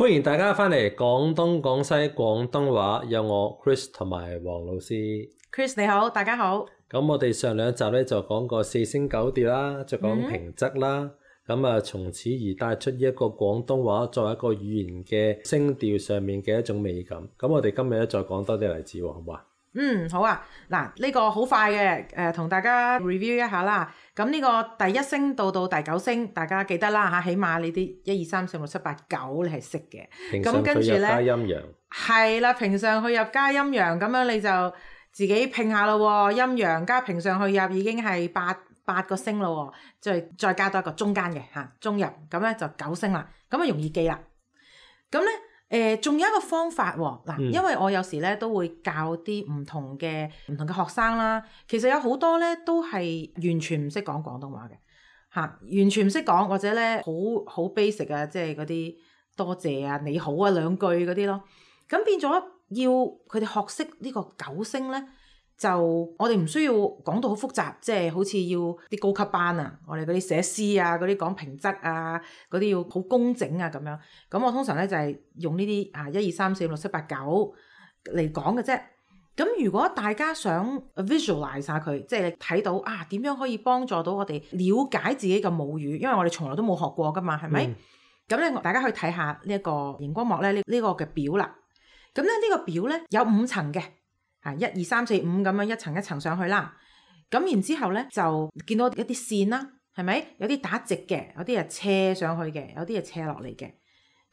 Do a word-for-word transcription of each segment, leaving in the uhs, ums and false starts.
歡迎大家翻嚟廣東廣西廣東話，有我 Chris 同埋黃老師。Chris 你好，大家好。咁我哋上兩集咧就講過四聲九調啦，就講平仄啦。咁啊、嗯，從此而帶出一個廣東話作為一個語言嘅聲調上面嘅一種美感。咁我哋今日咧再講多啲例子喎，好唔好啊？嗯，好啊。嗱，呢個好快嘅，誒、呃，同大家 review 一下啦。咁呢個第一聲到到第九聲，大家記得啦嚇，起碼你啲一二三四五六七八九你係識嘅。平上去入加陰陽。係啦，平上去入加陰陽，咁樣你就自己拼下咯喎。陰陽加平上去入已經係八八個聲咯喎，再再加多一個中間嘅嚇，中入，咁咧就九聲啦。咁啊容易記啦。咁咧。誒，仲、呃、有一個方法喎、哦，嗱，嗯、因為我有時咧都會教啲唔同嘅唔同嘅學生啦，其實有好多咧都係完全唔識講廣東話嘅嚇、啊，完全唔識講或者咧好好 basic 啊，即係嗰啲多謝啊、你好啊兩句嗰啲咯，咁變咗要佢哋學識呢個九聲咧，就我哋唔需要講到好複雜，即係好似要啲高級班啊，我哋嗰啲寫詩啊，嗰啲講平仄啊，嗰啲要好工整啊咁樣。咁我通常咧就係用呢啲啊一二三四五六七八九嚟講嘅啫。咁如果大家想 visualize 下佢，即係睇到啊點樣可以幫助到我哋了解自己嘅母語，因為我哋從來都冇學過噶嘛，係咪？咁咧、嗯、大家可以睇下呢一個熒光幕咧呢呢個嘅表啦。咁咧呢個表咧有五層嘅。啊，一二三四五咁樣一層一層上去啦，咁然之後咧就見到一啲線啦，係咪？有啲打直嘅，有啲係斜上去嘅，有啲係斜落嚟嘅，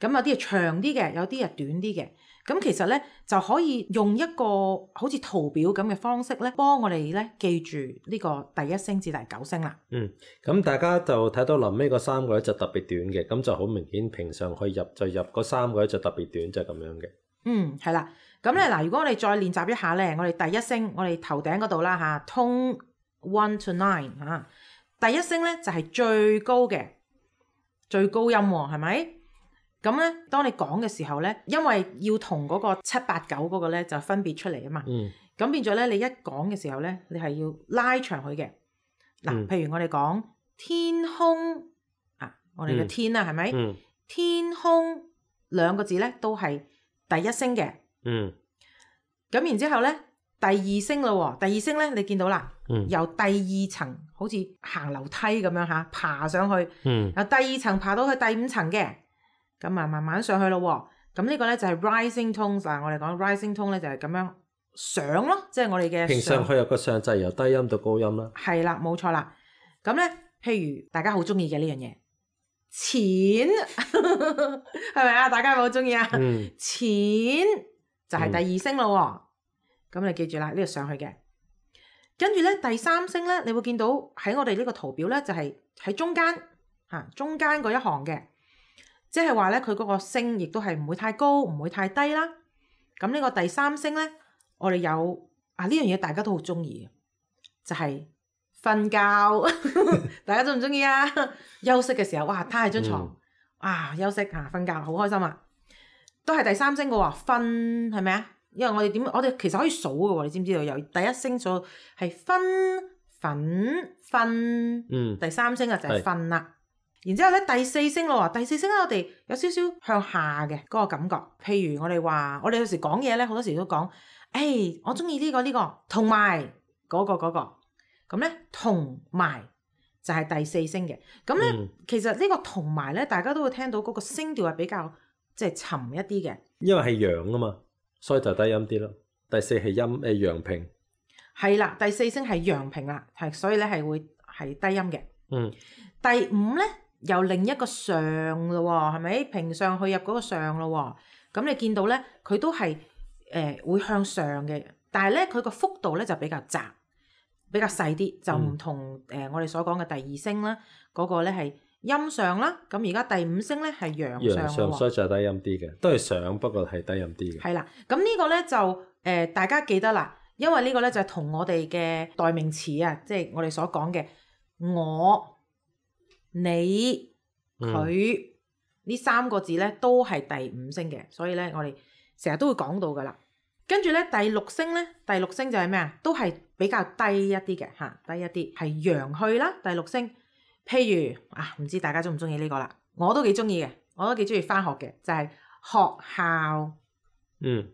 咁有啲係長啲嘅，有啲係短啲嘅。咁其實咧就可以用一個好似圖表咁嘅方式咧，幫我哋咧記住呢個第一聲至第九聲啦。嗯，咁大家就睇到臨尾嗰三個咧就特別短嘅，咁就好明顯平上去入就入嗰三個咧就特別短，就係咁樣嘅。嗯，係啦。咁咧嗱，如果我哋再練習一下咧，我哋第一聲，我哋頭頂嗰度啦嚇，tone one to nine 嚇，第一聲咧就係最高嘅，最高音喎，係咪？咁咧，當你講嘅時候咧，因為要同嗰個七八九嗰個咧就分別出嚟啊嘛。嗯。咁變咗咧，你一講嘅時候咧，你係要拉長佢嘅。嗱、嗯，譬如我哋講天空啊，我哋嘅天啊，係咪？嗯。天空兩個字咧都係第一聲嘅。嗯，咁然之後咧，第二聲咯，第二聲咧，你見到啦，嗯、由第二層好似行樓梯咁樣吓，爬上去，嗯、由第二層爬到去第五層嘅，咁啊慢慢上去咯，咁呢個咧就係 rising tones 嗱，我哋講 rising tone 咧就係咁樣上咯，即係我哋嘅平上去入個上就係由低音到高音啦，係啦，冇錯啦，咁咧，譬如大家好中意嘅呢樣嘢，錢係咪啊？大家有冇好中意啊？嗯、錢。就係第二聲咯，咁、嗯、你記住啦，呢度上去嘅。跟住咧第三聲咧，你會見到喺我哋呢個圖表咧，就係、是、喺中間嚇、啊，中間嗰一行嘅，即係話咧佢嗰個聲亦都係唔會太高，唔會太低啦。咁呢個第三聲咧，我哋有啊呢樣嘢大家都好中意嘅，就係、是、瞓覺。大家中唔中意啊？休息嘅時候，哇，攤喺張床，嗯、啊，休息嚇，瞓覺，好開心啊！都係第三聲嘅喎，分係咪啊？因為我哋點，我哋其實可以數嘅喎，你知唔知道？由第一聲數係分、粉、分，嗯，第三聲啊就係分啦。是然之後咧第四聲咯喎，第四聲咧我哋有少少向下嘅嗰個感覺。譬如我哋話，我哋有時講嘢咧，好多時都講，誒、欸，我中意呢個呢、這個，同埋嗰個嗰、那個，咁咧同埋就係第四聲嘅。咁咧、嗯、其實呢個同埋咧，大家都會聽到嗰個聲調係比較。即係沉一啲嘅，因為係陽啊嘛，所以就低音啲咯。第四係陰誒陽平，係啦，第四聲係陽平啦，係所以咧係會係低音嘅。嗯，第五咧由另一個上咯，係咪平上去入嗰個上咯？咁你見到咧佢都係誒、呃、會向上嘅，但係咧佢個幅度咧就比較窄，比較細啲，就唔同誒、嗯呃、我哋所講嘅第二聲啦，嗰、那個咧係。音上啦，咁而家第五聲咧係陽上，陽上所以就係低音啲嘅，都係上，不過係低音啲嘅。係啦，咁呢個咧就誒、呃、大家記得啦，因為呢個咧就係同我哋嘅代名詞啊，即係我哋所講嘅我、你、佢呢、嗯、三個字咧都係第五聲嘅，所以咧我哋成日都會講到噶啦。跟住咧第六聲咧，第六聲就係咩啊？都係比較低一啲嘅嚇，低一啲係陽去啦。第六聲。譬如啊，唔知大家中唔中意呢個啦？我都幾中意嘅，我都幾中意返學嘅，就係、是、學校，嗯，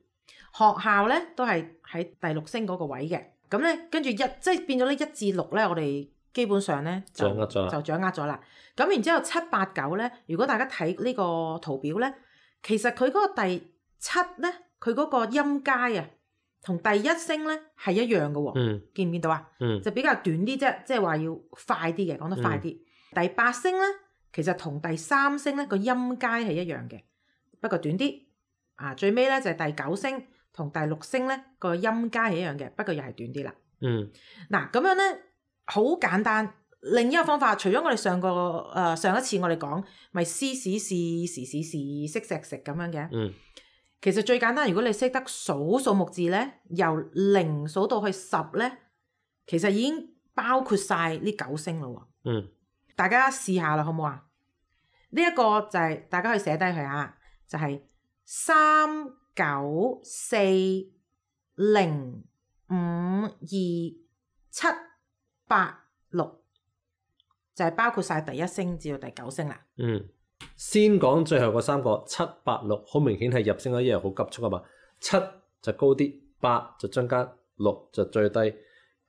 學校咧都係喺第六聲嗰個位嘅。咁咧跟住一即係變咗咧一至六咧，我哋基本上咧就掌握咗啦就掌握咗啦。咁然之後七八九咧，如果大家睇呢個圖表咧，其實佢嗰個第七咧，佢嗰個音階啊，同第一聲咧係一樣嘅喎、哦。嗯，見唔見到啊？嗯，就比較短啲啫，即係話要快啲嘅，講得快啲。嗯、第八聲咧，其實同第三聲咧個音階係一樣嘅，不過短啲。啊，最尾咧就係、是、第九聲同第六聲咧個音階係一樣嘅，不過又係短啲啦。嗯，嗱咁樣咧好簡單。另一個方法，除咗我哋上個誒、呃、上一次我哋講咪思史事時事事識石食咁樣嘅，嗯，其實最簡單，如果你識得數數目字咧，由零數到去十咧，其實已經包括晒呢九聲咯喎。嗯，大家試下啦，好唔好啊？呢、這、一個就係、是、大家可以寫低佢啊，就係三九四零五二七八六。就係包括晒第一聲至到第九聲啦。嗯，先講最後嗰三個七八六，好明顯係入聲嗰一樣好急促啊嘛。七就高啲，八就中間，六就最低。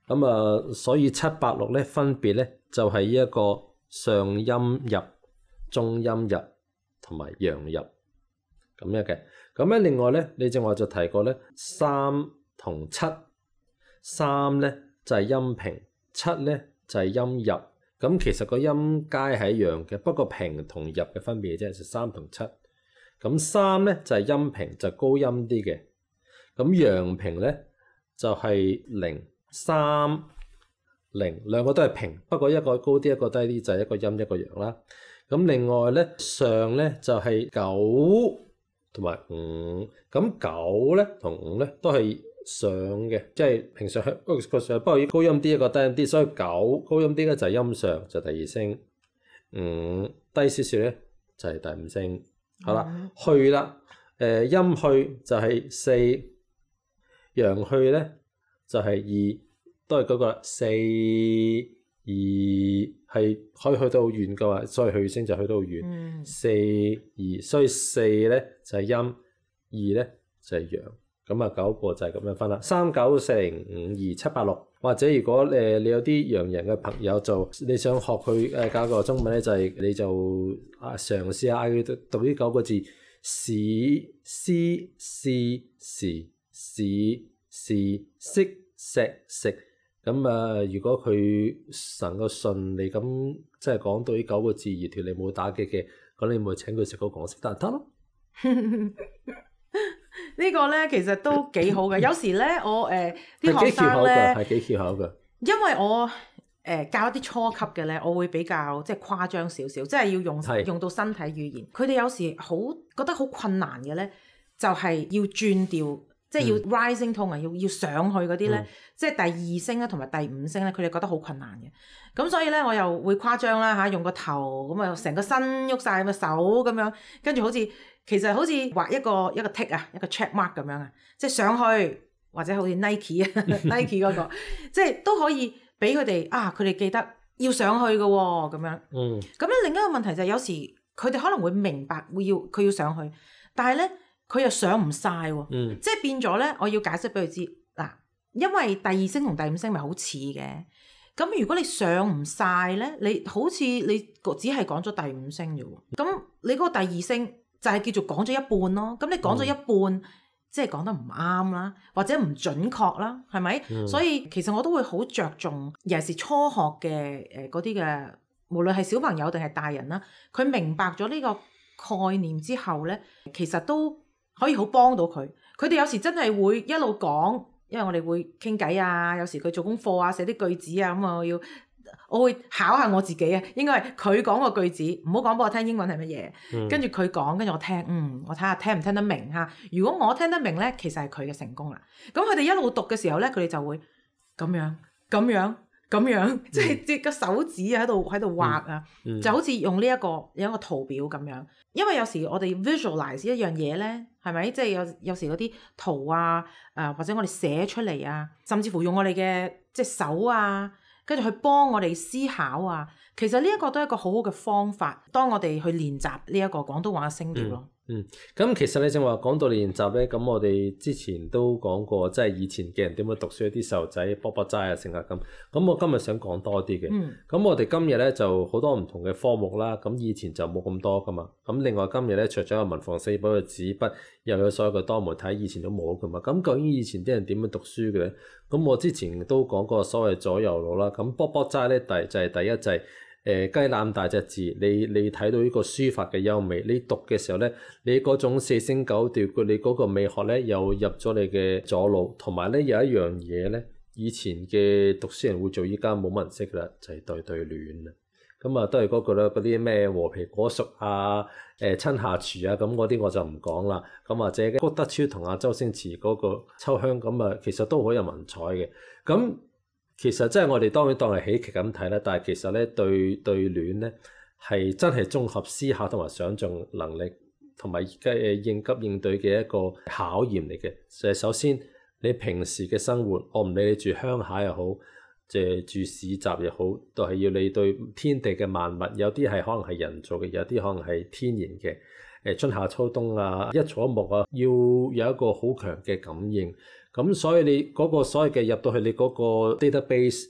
咁啊，所以七八六咧分別咧就係、是、一個上音入、中音入同埋陽入咁樣嘅。咁咧另外咧，你正話就提過咧，三同七，三咧就係、是、音平，七咧就係、是、音入。咁其實個音階係一樣嘅，不過平同入嘅分別啫，就三同七。咁三咧就係、是、音平，就高音啲嘅。咁陽平咧就係、是、零三零，兩個都係平，不過一個高啲，一個低啲，就係、是、一個陰一個陽啦。咁另外咧上咧就係、是、九同埋五，咁九咧同五咧都係上嘅，即係平常個上，不過要高音啲，一個低音啲，所以九高音啲咧就係音上，就係、第二聲。五低少少咧就係、是、第五聲。好啦，嗯、去啦，誒、呃、音去就係四，陽去咧就係、是、二，都係嗰個四二，係可以去到好遠嘅話，所以去聲就去到好遠。嗯、四二，所以四咧就係、是、音，二咧就係、是、陽。咁啊，九個就係咁樣分啦，三九四零五二七八六，或者如果誒你有啲洋人嘅朋友就你想學佢誒教個中文咧，就係、是、你就啊嘗試下嗌佢讀讀呢九個字，史思是時時時識石食。咁啊，如果佢能夠順利咁即係講到呢九個字而條脷冇打結嘅，咁你咪請佢食個港式蛋撻咯。呢個咧其實都幾好嘅，有時咧我誒啲、呃、學生咧係幾翹口嘅，因為我誒、呃、教一啲初級嘅咧，我會比較即係誇張少少，即係要用是用到身體語言。佢哋有時好覺得好困難嘅咧，就係、是、要轉調，即係要 rising tone 啊、嗯，要要上去嗰啲咧，嗯、即係第二聲咧同埋第五聲咧，佢哋覺得好困難嘅。咁所以咧，我又會誇張啦嚇，用個頭咁啊，成個身喐晒，咁啊手咁樣，跟住好似。其實好似畫一個一個 tick 啊，一個 check mark 咁樣啊，即係上去或者好似 Nike 啊 Nike 嗰個，即係都可以俾佢哋啊，佢哋記得要上去嘅喎咁樣。嗯。咁咧另一個問題就係有時佢哋可能會明白會要佢要上去，但係咧佢又上唔晒喎。嗯。即係變咗咧，我要解釋俾佢知嗱，因為第二聲同第五聲咪好似嘅，咁如果你上唔晒咧，你好似你只係講咗第五聲啫喎，咁你嗰個第二聲。就係叫做講咗一半咯，咁你講咗一半，嗯、即係講得唔啱啦，或者唔準確啦，係咪？嗯、所以其實我都會好着重，尤其是初學嘅誒嗰啲嘅，無論係小朋友定係大人啦，佢明白咗呢個概念之後咧，其實都可以好幫到佢。佢哋有時真係會一路講，因為我哋會傾偈啊，有時佢做功課啊，寫啲句子啊，咁啊我要。我會考下我自己啊，應該係佢講個句子，唔好講俾我聽英文係乜嘢，嗯、跟住佢講，跟住我聽，嗯，我睇下聽唔聽得明嚇。如果我聽得明咧，其實係佢嘅成功啦。咁佢哋一路讀嘅時候咧，佢哋就會咁樣、咁樣、咁樣，嗯、即係即個手指啊喺度喺度畫啊，嗯嗯、就好似用呢一個有一個圖表咁樣。因為有時我哋 visualize 一樣嘢咧，係咪？即係有有時嗰啲圖啊，誒、呃、或者我哋寫出嚟啊，甚至乎用我哋嘅即係手啊。跟住去幫我哋思考啊，其實呢一個都係一個好好嘅方法，當我哋去練習呢一個廣東話嘅聲調咯。嗯，咁其實你正話講到練習咧，咁我哋之前都講過，即係以前嘅人點樣讀書，啲細路仔卜卜齋啊，成日咁。咁我今日想講多啲嘅。嗯。咁我哋今日咧就好多唔同嘅科目啦，咁以前就冇咁多噶嘛。咁另外今日咧，除咗有文房四寶嘅紙筆，又有所有嘅多媒體，以前都冇噶嘛。咁究竟以前啲人點樣讀書嘅咧？咁我之前都講過所謂左右腦啦。咁卜卜齋咧，第就係第一就係、是。誒雞腩大隻字，你你睇到呢個書法嘅優美，你讀嘅時候咧，你嗰種四聲九調，你嗰個美學咧又入咗你嘅左腦，同埋咧有一樣嘢咧，以前嘅讀書人會做，依家冇乜人識噶啦，就係、是、對對聯啊。咁啊，都係嗰個啦，嗰啲咩和皮果熟啊、誒、呃、親下廚啊，咁嗰啲我就唔講啦。咁或者谷德超同阿周星馳嗰個秋香，咁啊，其實都好有文采嘅。咁其實即係我哋當然當係喜劇咁睇啦，但係其實咧對對聯咧係真係綜合思考同埋想像能力同埋誒應急應對嘅一個考驗嚟嘅。就係首先你平時嘅生活，我唔理你住鄉下又好，即係住市集又好，都係要你對天地嘅萬物，有啲係可能係人造嘅，有啲可能係天然嘅。誒春夏秋冬啊，一草一木啊，要有一個好強嘅感應。咁所以你嗰個所謂嘅入到去你嗰個 database，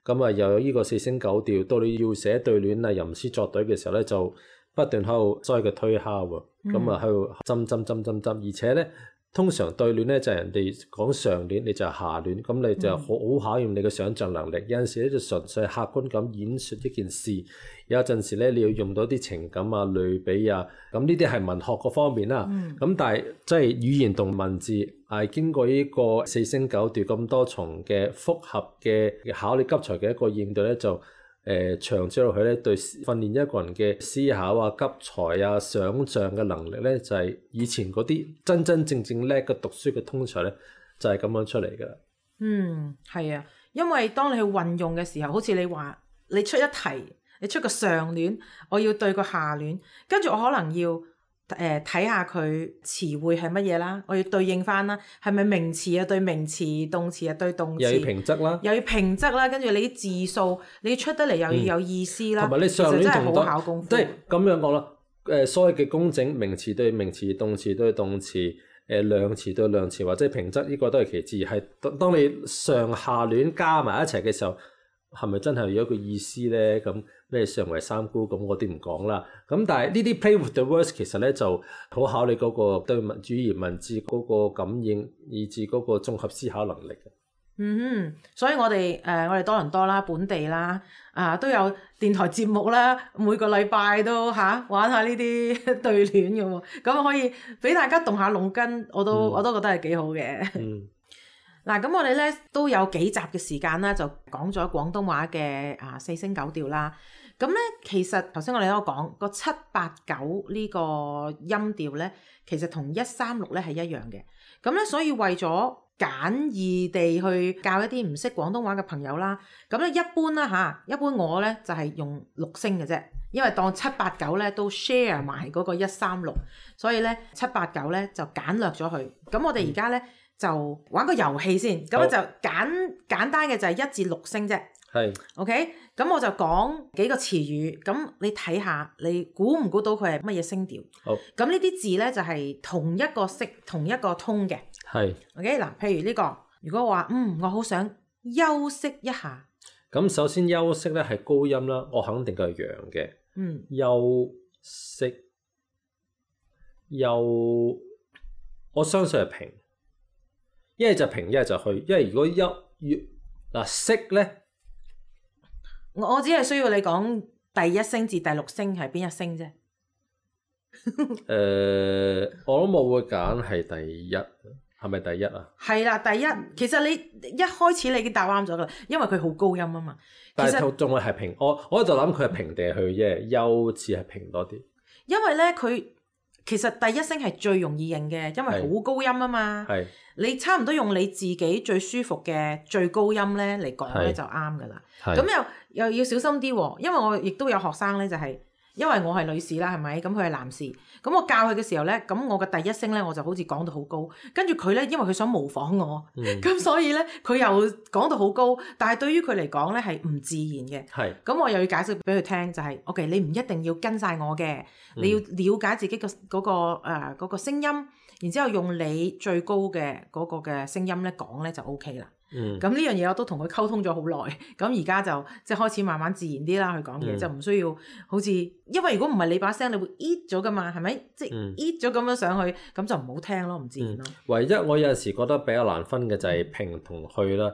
咁啊又有呢個四聲九調，到你要寫對聯啊、吟詩作對嘅時候咧，就不斷喺度所謂嘅推敲喎，咁啊喺度針針針針針，而且咧通常對聯咧就係、是、人哋講上聯，你就係下聯，咁你就好好考驗你嘅想像能力。有陣時咧就純粹客觀咁演説一件事，有陣時咧你要用到啲情感啊、類比啊，咁呢啲係文學嗰方面啦。咁、嗯、但係即係語言同文字係經過呢個四聲九調咁多重嘅複合嘅考慮急才嘅一個應對咧，就誒、呃、長之落去咧，對訓練一個人嘅思考啊、急才啊、想像嘅能力咧，就係、是、以前嗰啲真真正正叻嘅讀書嘅通才咧，就係、是、咁樣出嚟㗎啦。嗯，係啊，因為當你去運用嘅時候，好似你話你出一題，你出個上聯，我要對個下聯，跟住我可能要誒睇下佢詞彙係乜嘢啦，我要對應翻啦，係咪名詞啊對名詞，動詞啊對動詞，又要平仄啦，又要平仄啦，跟住你啲字數你要出得嚟又要有意思啦，同埋、嗯、你上聯仲好考功夫，即係咁樣講啦。誒，所謂嘅工整，名詞對名詞，動詞對動詞，誒量詞對量詞，或者平仄，呢個都係其次。係當你上下聯加埋一齊嘅時候，係咪真係有一個意思咧？咁咩上為三姑咁，我啲唔講啦。咁但係呢啲 play with the words 其實咧就好考你嗰個對文語言文字嗰個感應，以至嗰個綜合思考能力嘅。嗯哼，所以我哋誒、呃、我哋多倫多啦、本地啦，啊都有電台節目啦，每個禮拜都嚇、啊、玩下呢啲對聯嘅喎，咁可以俾大家動下腦筋，我都、嗯、我都覺得係幾好嘅。嗯。嗱，咁我哋咧都有幾集嘅時間啦，就講咗廣東話嘅啊四聲九調啦。咁咧其實頭先我哋都講個七八九呢個音調咧，其實同一三六咧係一樣嘅。咁咧所以為咗簡易地去教一啲唔識廣東話嘅朋友啦，咁咧一般啦嚇，一般我咧就係用六聲嘅啫，因為當七八九咧都 share 埋嗰個一三六，所以咧七八九咧就簡略咗佢。咁我哋而家咧。嗯就玩個遊戲先，咁就簡簡單嘅就係一至六聲啫。係 ，OK，咁我就講幾個詞語，咁你睇下，你估唔估到佢係乜嘢聲調？好，咁呢啲字咧就係同一個色、同一個通嘅。係 ，OK，嗱，譬如呢個，如果我話嗯，我好想休息一下，咁首先休息咧係高音啦，我肯定佢係陽嘅。嗯，休息，休，我相信係平。一係就平，一係就去。因為如果一月嗱息咧，我我只係需要你講第一聲至第六聲係邊一聲啫。誒、呃，我諗我會揀係第一，係咪第一啊？係啦，第一。其實你一開始你已經答啱咗噶啦，因為佢好高音啊嘛。但係仲係平，我我喺度諗佢係平定係去啫，休似係平多啲。因為咧，佢其實第一聲係最容易認嘅，因為好高音啊嘛。係。你差唔多用你自己最舒服嘅最高音咧嚟講咧就啱噶啦。咁又又要小心啲喎，因為我亦都有學生咧就係因為我係女士啦，係咪？咁佢係男士，咁我教佢嘅時候咧，咁我嘅第一聲咧，我就好似講到好高，跟住佢咧，因為佢想模仿我，咁、嗯、所以咧，佢又講到好高，但係對於佢嚟講咧係唔自然嘅。係。咁我又要解釋俾佢聽，就係、是、OK， 你唔一定要跟晒我嘅，你要了解自己嘅嗰、嗰個誒嗰、嗰個聲音，然之後用你最高嘅嗰個嘅聲音咧講咧就 OK 啦。嗯，咁呢樣嘢我都同佢溝通咗好耐，咁而家就即係開始慢慢自然啲啦，去講嘢、嗯、就唔需要好似，因為如果唔係你把聲，你會 eat 咗噶嘛，係咪？即係 eat 咗咁樣上去，咁就唔好聽咯，唔自然咯、嗯。唯一我有陣時覺得比較難分嘅就係平同去啦，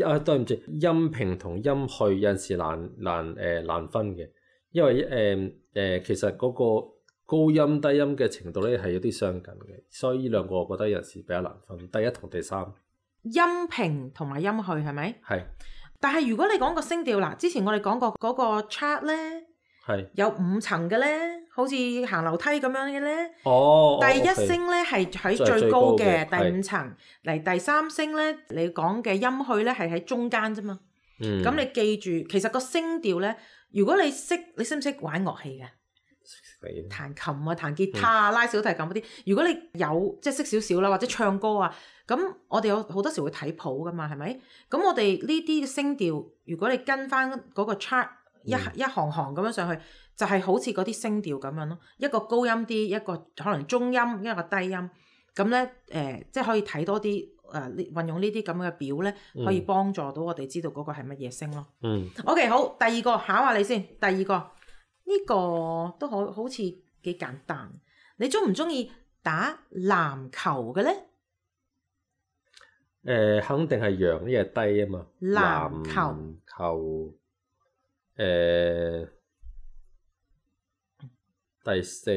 啊對唔住，音平同音去有陣時難難誒、呃、難分嘅，因為誒誒、呃、其實嗰個高音低音嘅程度咧係有啲相近嘅，所以呢兩個我覺得有陣時比較難分，第一同第三。音平同埋音去係咪？係。但係如果你講個聲調啦，之前我哋講過嗰個 chart 咧，係有五層嘅咧，好似行樓梯咁樣嘅咧。哦。第一聲咧係喺最高嘅第五層，嚟第三聲咧，你講嘅音去咧係喺中間啫嘛。嗯。咁你記住，其實個聲調咧，如果你識，你識唔識玩樂器嘅？彈琴啊、彈吉他啊、拉小提琴嗰啲，如果你有即係識少少啦，或者唱歌啊，咁我哋有好多時會睇譜噶嘛，係咪？咁我哋呢啲聲調，如果你跟翻嗰個 chart 一、嗯、一行行咁樣上去，就係、是、好似嗰啲聲調咁樣咯，一個高音啲，一個可能中音，一個低音，咁咧誒，即係可以睇多啲誒，運用呢啲咁嘅表咧，可以幫助到我哋知道嗰個係乜嘢聲咯。嗯。OK， 好，第二個考下你先，第二個。呢、這個都好好似幾簡單，你中唔中意打籃球嘅咧？誒、呃，肯定係陽，呢係低啊嘛。籃球。籃球。誒、呃，第四。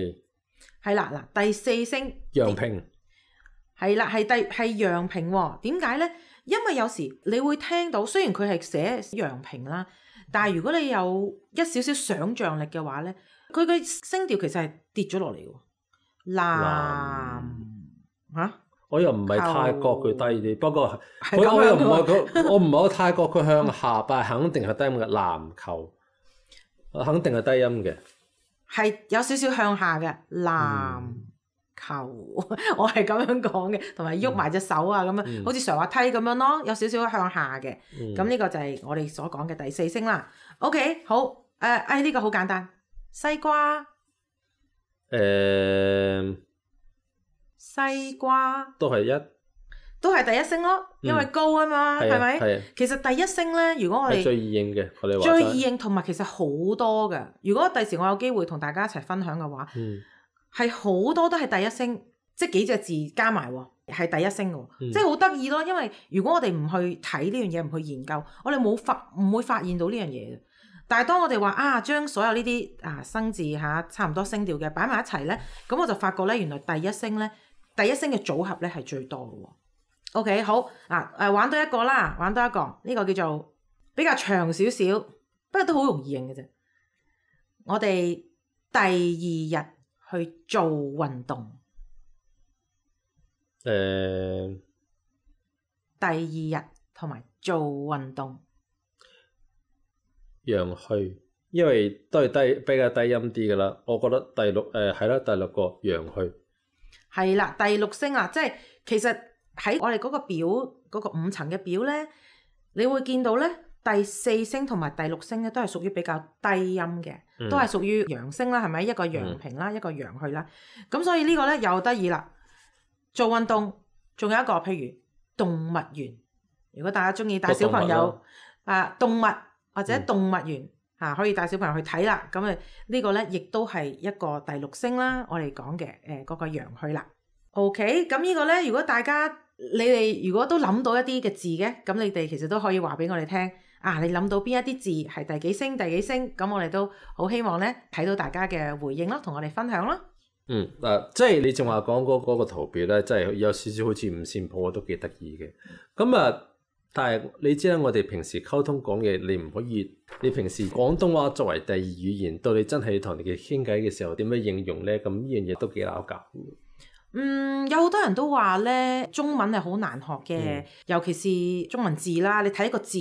係啦，嗱，第四聲。陽平。係啦，係第係陽平喎。點解咧？因為有時你會聽到，雖然佢係寫陽平啦。但係如果你有一少少想像力嘅話咧，佢嘅聲調其實係跌咗落嚟喎。藍嚇，我又唔係太覺佢低啲，不過佢我又唔係佢，我唔係好太覺佢向下，但係肯定係低音嘅籃球，肯定係低音嘅，係有少少向下嘅籃球，嗯、我係咁樣講嘅，同埋喐埋隻手啊咁樣，嗯、好似上滑梯咁樣咯，有少少向下嘅。咁呢、嗯、個就係我哋所講嘅第四聲啦。OK， 好，誒、呃，誒、這、呢個好簡單，西瓜，誒、呃，西瓜都係一，都係第一聲咯，因為高啊嘛，係咪、嗯？其實第一聲咧，如果我哋最易認嘅，我哋話最易認，同埋其實好多嘅。如果第時我有機會同大家一齊分享嘅話，嗯。係好多都係第一聲，即係幾隻字加埋喎，係第一聲嘅喎，嗯、即係好得意咯。因為如果我哋唔去睇呢樣嘢，唔去研究，我哋冇發唔會發現到呢樣嘢。但係當我哋話啊，將所有呢啲啊生字嚇差唔多聲調嘅擺埋一齊咧，咁我就發覺咧，原來第一聲咧，第一聲嘅組合咧係最多嘅喎。OK， 好啊，誒玩多一個啦，玩多一個，呢、呢個叫做比較長少少，不過都好容易認嘅啫。我哋第二日去做運動，誒、呃，第二日同埋做運動，陽去，因為都係低比較低音啲嘅啦。我覺得第六誒係啦，第六個陽去，係啦，第六聲啦，即係其實喺我哋嗰個表嗰、嗰個五層嘅表咧，你會見到咧。第四聲同埋第六聲咧，都係屬於比較低音嘅，嗯、都係屬於陽聲啦，係咪？一個陽平啦，嗯、一個陽去啦。咁所以個呢個咧又得意啦。做運動，仲有一個譬如動物園，如果大家中意帶小朋友啊動物或者動物園嚇、嗯啊，可以帶小朋友去睇啦。咁啊呢個咧亦都係一個第六聲啦，我哋講嘅誒嗰個陽去啦。OK，咁呢個咧，如果大家你哋如果都諗到一啲嘅字嘅，咁你哋其實都可以話俾我哋聽。啊！你諗到邊一啲字係第幾聲第幾聲？咁我哋都好希望咧睇到大家嘅回應咯，同我哋分享咯。嗯，嗱、呃，即係你仲話講嗰嗰個圖表咧，即係有少少好似五線譜，都幾得意嘅。咁啊，但係你知啦，我哋平時溝通講嘢，你唔可以，你平時廣東話作為第二語言，到你真係同你哋傾偈嘅時候，點樣應用咧？咁呢樣嘢都幾拗撬。嗯，有好多人都話咧，中文係好難學嘅，嗯、尤其是中文字啦。你睇個字。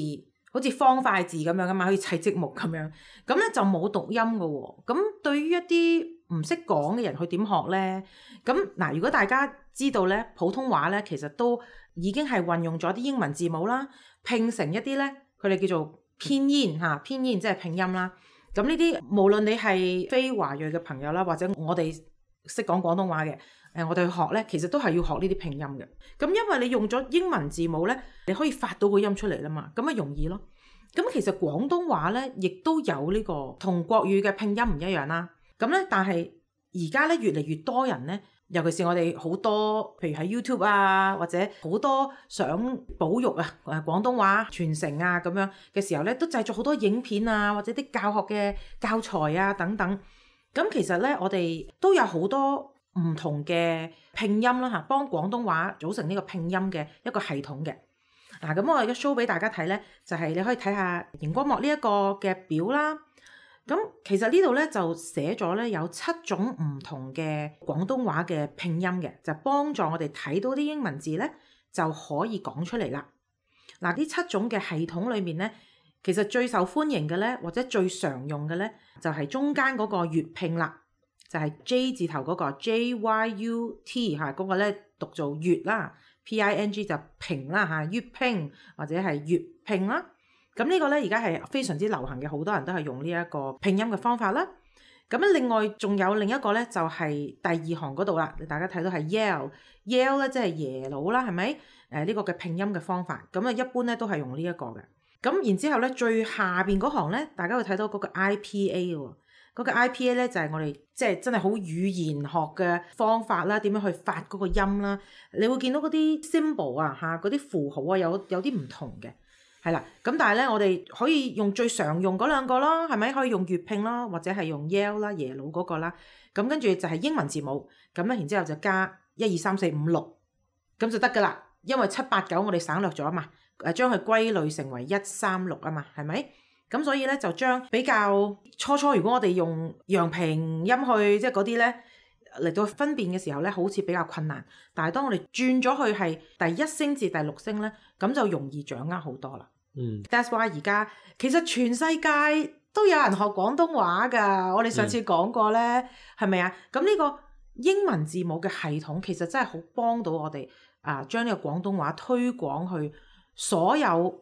好似方塊字咁樣噶嘛，好似砌積木咁樣，咁咧就冇讀音噶喎。咁對於一啲唔識講嘅人，佢點學咧？咁嗱，如果大家知道咧，普通話咧其實都已經係運用咗啲英文字母啦，拼成一啲咧，佢哋叫做偏音嚇，偏音即係拼音啦。咁呢啲無論你係非華裔嘅朋友啦，或者我哋識講廣東話嘅，誒我哋去學咧，其實都係要學呢啲拼音嘅。咁因為你用咗英文字母咧，你可以發到個音出嚟啦嘛，咁咪容易咯。咁其實廣東話咧，亦都有呢個同國語嘅拼音唔一樣啦。咁咧，但係而家咧越嚟越多人咧，尤其是我哋好多，譬如喺 YouTube 啊，或者好多想保育啊誒廣東話傳承啊咁樣嘅時候咧，都製作好多影片啊，或者啲教學嘅教材啊等等。咁其實咧，我哋都有好多唔同嘅拼音啦嚇，幫廣東話組成呢個拼音嘅一個系統嘅。嗱，咁我而家 show 俾大家睇咧，就係、是、你可以睇下熒光幕呢一個嘅表啦。咁其實呢度咧就寫咗咧有七種唔同嘅廣東話嘅拼音嘅，就幫助我哋睇到啲英文字咧就可以講出嚟啦。嗱，呢七種嘅系統裏面咧，其實最受歡迎嘅咧，或者最常用嘅咧，就係、是、中間嗰個粵拼啦，就係、是、J 字頭嗰個 J Y U T 嚇，嗰個咧讀做粵啦。P I N G 就拼啦嚇，粵拼或者係粵拼啦。咁呢個咧而家係非常之流行嘅，好多人都係用呢一個拼音嘅方法啦。咁咧另外仲有另一個咧就係第二行嗰度啦，大家睇到係 Yale，Yale 咧即係耶魯啦，係咪？誒呢個嘅拼音嘅方法，咁啊一般咧都係用呢一個嘅。咁然之後咧最下邊嗰行咧，大家會睇到嗰個 I P A 喎。嗰個 I P A 咧就係我哋即係真係好語言學嘅方法啦，點樣去發嗰個音啦？你會見到嗰啲 symbol 啊嚇，嗰啲符號啊有有啲唔同嘅，係啦。咁但係咧，我哋可以用最常用嗰兩個咯，係咪？可以用粵拼啦，或者係用 Yale 啦、耶魯嗰個啦。咁跟住就係英文字母，咁咧然之後就加一二三四五六，咁就得㗎啦。因為七八九我哋省略咗啊嘛，誒將佢歸類成為一三六啊嘛，係咪？咁所以咧就將比較初初如果我哋用陽平音去即係嗰啲咧嚟到分辨嘅時候咧，好似比較困難。但係當我哋轉咗去係第一聲至第六聲咧，咁就容易掌握好多啦。嗯 ，That's why 而家其實全世界都有人學廣東話㗎。我哋上次講過咧，係咪啊？咁呢個英文字母嘅系統其實真係好幫到我哋啊，將呢個廣東話推廣去所有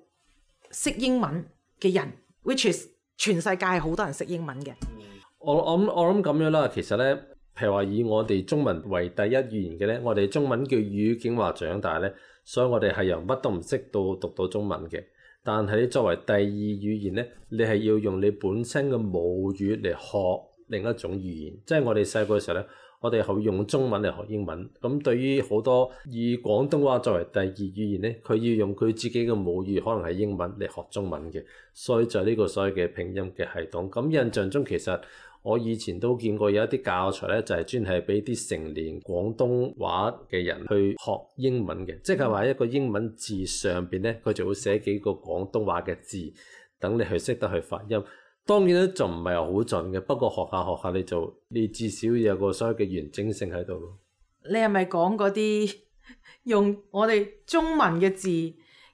識英文嘅人。which is 全世界好多人識英文嘅。我我諗我諗咁樣啦，其實咧，譬如話以我哋中文為第一語言嘅咧，我哋中文叫語境話長大咧，所以我哋係由乜都唔識到讀到中文嘅。但係你作為第二語言咧，你係要用你本身嘅母語嚟學另一種語言。即係我哋細個嘅時候咧，我哋係用中文嚟學英文。咁對於好多以廣東話作為第二語言咧，佢要用佢自己嘅母語，可能係英文嚟學中文嘅。所以就係呢個所謂嘅拼音嘅系統。咁印象中其實我以前都見過有一啲教材咧，就係專係俾啲成年廣東話嘅人去學英文嘅。即係話一個英文字上邊咧，佢就會寫幾個廣東話嘅字，等你去識得去發音。當然咧，就唔係好盡嘅，不過學下學下你就你至少有個所謂嘅完整性喺度咯。你係咪講嗰啲用我哋中文嘅字，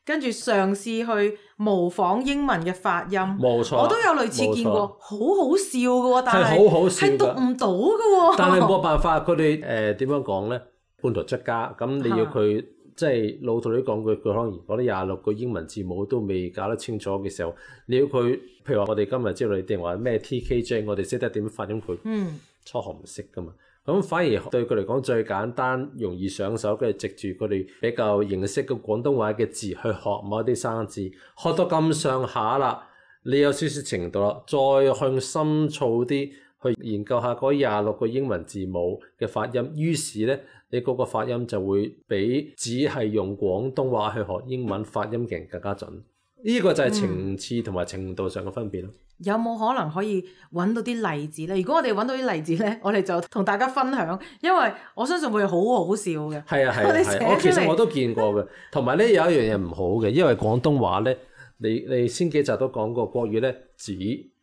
跟住嘗試去模仿英文嘅發音？冇錯，我都有類似見過，好好笑嘅喎，但係係好好笑係讀唔到嘅喎。但係冇辦法，佢哋誒點樣講咧？半途出家，咁你要佢。即係老土啲講句，佢可能嗰啲廿六個英文字母都未搞得清楚嘅時候，你要佢，譬如話我哋今日知道你定話咩 T K J， 我哋識得點發音佢，嗯，初學唔識噶嘛，咁反而對佢嚟講最簡單、容易上手嘅，藉住佢哋比較認識嘅廣東話嘅字去學某啲生字，學到咁上下啦，你有少少程度啦，再向深造啲去研究下嗰廿六個英文字母嘅發音，於是咧。你嗰個發音就會比只係用廣東話去學英文發音嘅人更加準，呢、這個就係層次同埋程度上嘅分別咯、嗯。有冇可能可以揾到啲例子咧？如果我哋揾到啲例子咧，我哋就同大家分享，因為我相信會好好笑嘅。係啊係啊係啊，我其實我都見過嘅。同埋咧有一樣嘢唔好嘅，因為廣東話咧，你你先幾集都講過國語咧，子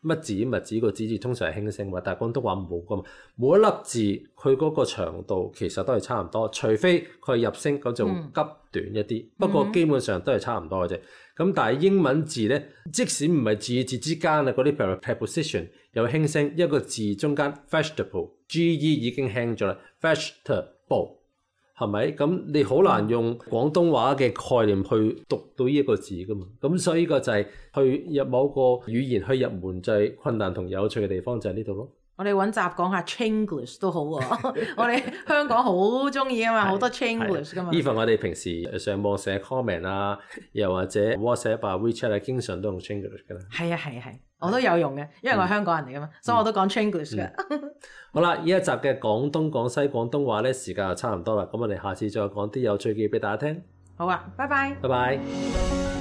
乜字乜字個字字通常係輕聲話，但係廣東話冇噶嘛，每一粒字佢嗰個長度其實都係差唔多，除非佢係入聲咁就急短一啲，嗯、不過基本上都係差唔多嘅啫。咁但係英文字咧，即使唔係字與字之間啊，嗰啲 preposition 有輕聲，一個字中間 vegetable G E 已經輕咗啦 vegetable 係咪？咁你好難用廣東話嘅概念去讀到呢一個字噶嘛？咁所以呢個就係去入某個語言去入門就係困難同有趣嘅地方就係呢度咯。我哋揾集講下 Chinglish 都好喎、啊，我哋香港好中意啊嘛，好多 Chinglish 噶嘛。even 我哋平時上網寫 comment 啊，又或者 WhatsApp 啊 WeChat 啊，經常都用 Chinglish 噶啦。係啊係啊係，我都有用嘅，因為我係香港人嚟噶嘛，嗯、所以我都講 Chinglish 嘅。嗯、好啦，呢一集嘅廣東廣西廣東話咧，時間就差唔多啦，咁我哋下次再講啲有趣嘅嘢俾大家聽。好啊，拜拜。拜拜。